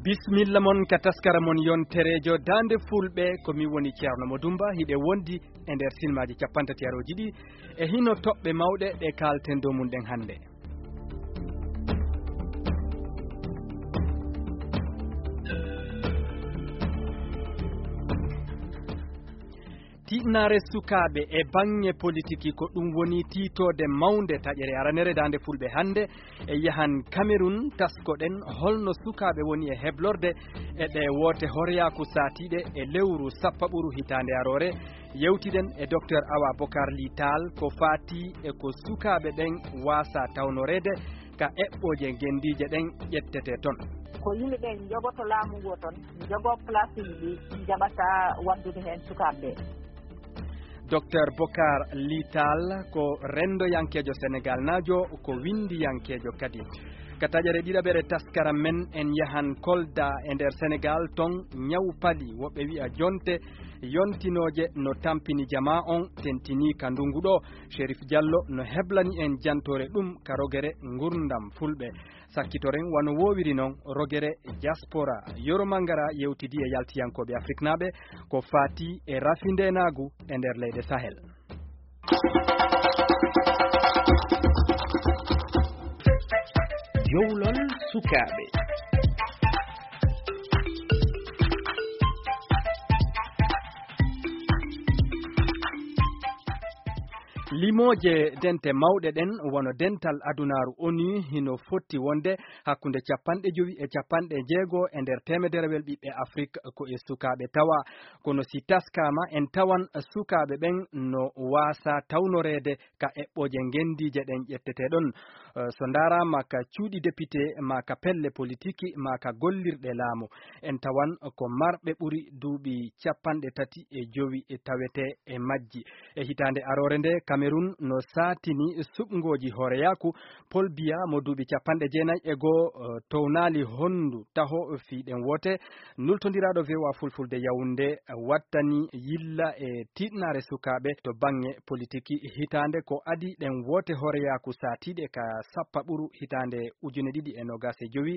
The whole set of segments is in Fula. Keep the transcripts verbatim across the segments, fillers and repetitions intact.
Bismilla mon ka taskara mon yontereejo Daande Fulɓe, ko min woni Ceerno Mo Dumba, hiɗe wondi e nder sinmaaji capanɗe tati arooji ɗi, e hino toɓɓe mawɗe ɗe kaalten dow mum ɗen hannde. Tiɗnaare sukaaɓe e baŋŋe politiki, ko ɗum woni tiitoode mawnde taƴere aranere Daande Fulɓe hannde. E yahan Kamerun, taskoɗen holno sukaaɓe woni e heblorde e ɗe woote horeyaaku saatiiɗe e lewru sappaɓuru hitaande aroore. Yewtiɗen e Doktor Awa Bokar Li Taal ko faati e ko sukaaɓe ɓen waasa tawnoreede ka eɓɓooje ngenndiije ɗen ƴettetee ton. Ko yimɓe ɓe njogoto laamu ngoo ton, njogoo place uji ɗi njaɓata waddude heen sukaaɓe ɓe. Doktor Bokar Li Taal ko renndoyankeejo Senegaalnaajo, ko winndiyankeejo kadi. Ka taƴere ɗiɗaɓere taskara men, en yahan Kolda e nder Senegaal, ton ñaw pali, woɓɓe wi'a jonte, yontinooje no tampini jamaa on, tentinii ka ndungu ɗo. Sherif Diallo no heblani en jantoore ɗum ka rogere ngurndan Fulɓe. Sakkitoren wano woowiri non rogere diaspora. Yoro Mangara yewtidi e yaltiyankooɓe Afriknaaɓe ko faati e rafindeenaagu e nder leyɗe Sahel. Jowlol sukaaɓe. Limooje dente mawɗe ɗen, wano dental adunaaru onu, hino fotti wonde hakkunde capanɗe jowi e capanɗe jeego e nder teemederewel ɓiɓɓe Afrik ko e sukaaɓe tawa. Kono si taskaama, en tawan sukaaɓe ɓen no waasa tawnoreede ka eɓɓooje ngenndiije ɗen ƴettetee ɗon. Eh, so ndaaraama ka cuuɗi depite, maa ka pelle politiki, maa ka gollirɗe laamu, en tawan ko marɓe ɓuri duuɓi capanɗe tati e jowi e tawetee e majji. E hitaande aroore nde, Kamerun no saatini suɓngooji hooreyaaku. Paul Biya mo duuɓi capanɗe jeenayi e goo, eh, townaali honndu taho fii ɗen woote. Nultondiraaɗo V O A Fulfulde Yawunde wattani yilla e tiiɗnaare sukaaɓe to baŋŋe politiki hitaande ko adii ɗen woote hooreyaaku saatiiɗe ka sappaɓuru hitaande ujune ɗiɗi e noogas e jowi.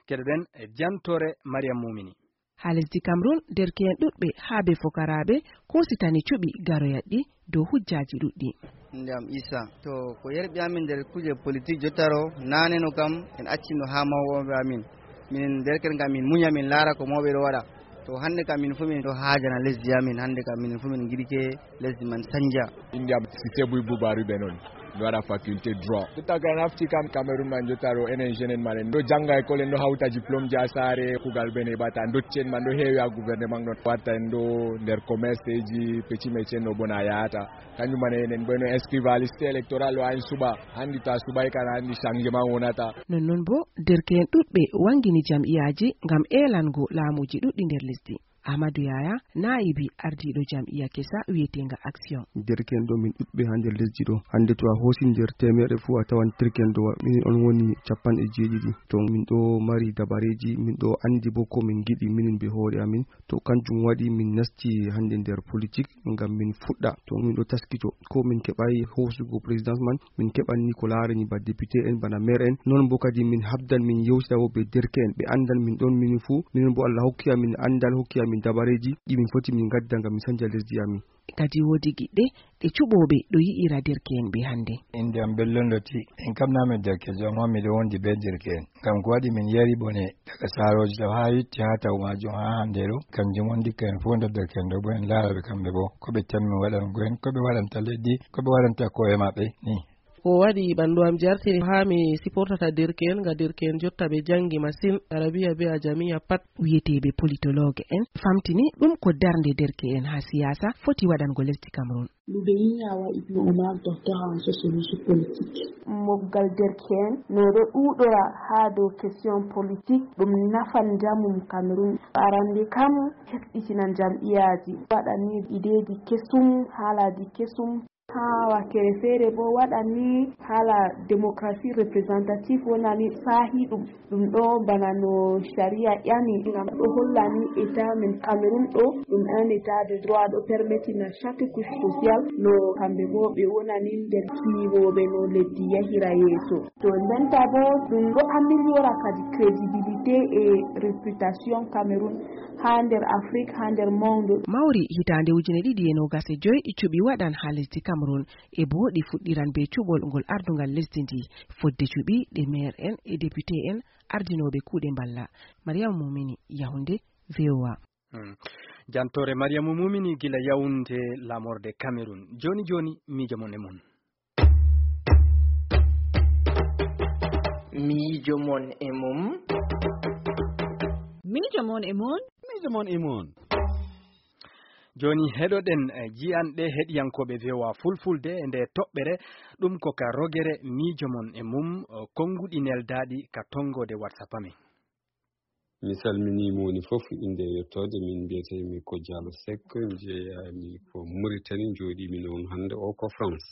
Keɗoɗen jantoore Mariam Mumini. Haa lesdi Cameroun, derke'en ɗuɗɓe haa be fokaraaɓe koositani cuɓi garoyat ɗi dow hujjaaji ɗuɗɗi. Innde am Issa. To ko yerɓi amin nder kuuje politik jottaro, naane no kam en accino haa mawɓe amin. Minen derke'en kam min munya, min laara ko mawɓe ɗo waɗa. To hannde kam min fuu min ɗo haajana lesdi amin. Hannde kam minen fuu min ngiɗike lesdi man sanja. Innde am Sise Buy Bubaari ɓe noon. Mi waɗa faculté droit. Jotta ko en nafti kam Cameroun man jotta ɗo, enen jeune en man en ɗo jannga école, en ɗo hawta diplôme ji haa saare, kuugal ɓe neɓata, dotti en man ɗo heewi haa gouvernement ɗon watta en ɗo nder commerce ji, petit métier no bona yahata. Kanjum man enen ɓe no inscrire haa liste électorale o ayin suɓa, hanndi ta suɓay kan hanndi changement wonata. Nonnon boo, derke'en ɗuɗɓe wangini jam'iyaaji ngam eelango laamuuji ɗuɗɗi nder lesdi. Ahmadu Yaya, naa'ibi ardiiɗo jam'iya kesa wi'eteenga Action. Derke'en ɗo min ɗuɗɓe haa nder lesdi ɗo. Hannde to a hoosi nder teemeɗɗe fuu a tawan derke'en ɗo wa-, min on woni capanɗe jeeɗiɗi. To min ɗo mari dabareeji, min ɗo anndi boo ko min ngiɗi minin bee hoore amin. To kanjum waɗi min nasti hannde nder politik ngam min fuɗɗa. To min ɗo taskito, ko min keɓaay hoosugo présidence man, min keɓan ni ko laarani ba député en, bana maire en. Non boo kadi min habdan, min yewtida boo be derke'en, ɓe anndan min ɗon minin fuu. Minin boo Allah hokki amin anndal, hokki amin dabareeji ɗi min foti min ngadda ngam min sanja lesdi amin. Kadi woodi giɗɗe ɗe cuɓooɓe ɗo yi'ira derke'en ɓe hannde. Innde am Bello Ndotti, en kam naa min derkeejo, ammaa miɗo wondi be derke'en. Ngam ko waɗi min yari bone daga saarooji taw haa yotti haa taw maajum haa hannde ɗo, kanjum on ndikka en fuu nder derke'en ɗo boo en laara ɓe kamɓe boo, ko ɓe tammi waɗango en, ko ɓe waɗanta lesdi, ko ɓe waɗanta ko'e maɓɓe ni. Ko waɗi ɓanndu am jartini haa mi siportata derke'en, ngam derke'en jotta ɓe janngi masin, Arabiya bee Ajamiya pat. Wi'eteeɓe politologue en famtini ɗum ko darnde derke'en haa siyaasa foti waɗango lesdi Cameroun. Ludeñi Awa Ibnu Omar, docteur en sociologie politique. Moggal derke'en no ɗo ɗuuɗora haa dow question politique, ɗum nafan njamu Cameroun. Arande kam, heɓɓitinan jam'iyaaji, waɗani ideeji kesum, haalaaji kesum. Haa wakkere feere boo waɗani haala démocratie représentative wonani saahi ɗum. Ɗum ɗo bana no shari'a ƴami ngam ɗo hollani état men Cameroun ɗo ɗum un état de droit ɗo permettina chaque couche sociale no kamɓe boo ɓe wonani nder kiiwooɓe no leddi yahira yeeso. To ndenta boo ɗum ɗo améliorer kadi crédibilité et réputation Cameroun haa nder Afrique, haa nder monde. Mawri hitaande ujine ɗiɗi e noogas e joy cuɓi waɗan haa lesdi Cameroun e boo ɗi fuɗɗiran bee cuɓol ngol ardungal lesdi ndi. Fodde cuɓi ɗe maire en e député en ardinooɓe kuuɗe mballa. Mariam Mumini, Yaoundé, V O A. Hmm. Jantoore Mariam Mumini gila Yaoundé, laamorde Cameroun. Jooni jooni, miijo mon e mon. Miijo mon e mum. Miijo mon e mon. Miijo mon e mon. Jooni heɗoɗen, eh, ji'anɗe heɗiyankooɓe V O A Fulfulde e nde toɓɓere, ɗum ko ka rogere miijo mon e mum, eh, konnguɗi neldaaɗi ka tonngoode WhatsApp amin. Mi salminii mo woni fof, innde e yettoode. Min mbiyetee-mi ko Diallo Seck, njeyaa-mi ko Mauritanie, njooɗii-mi noon hannde o ko France.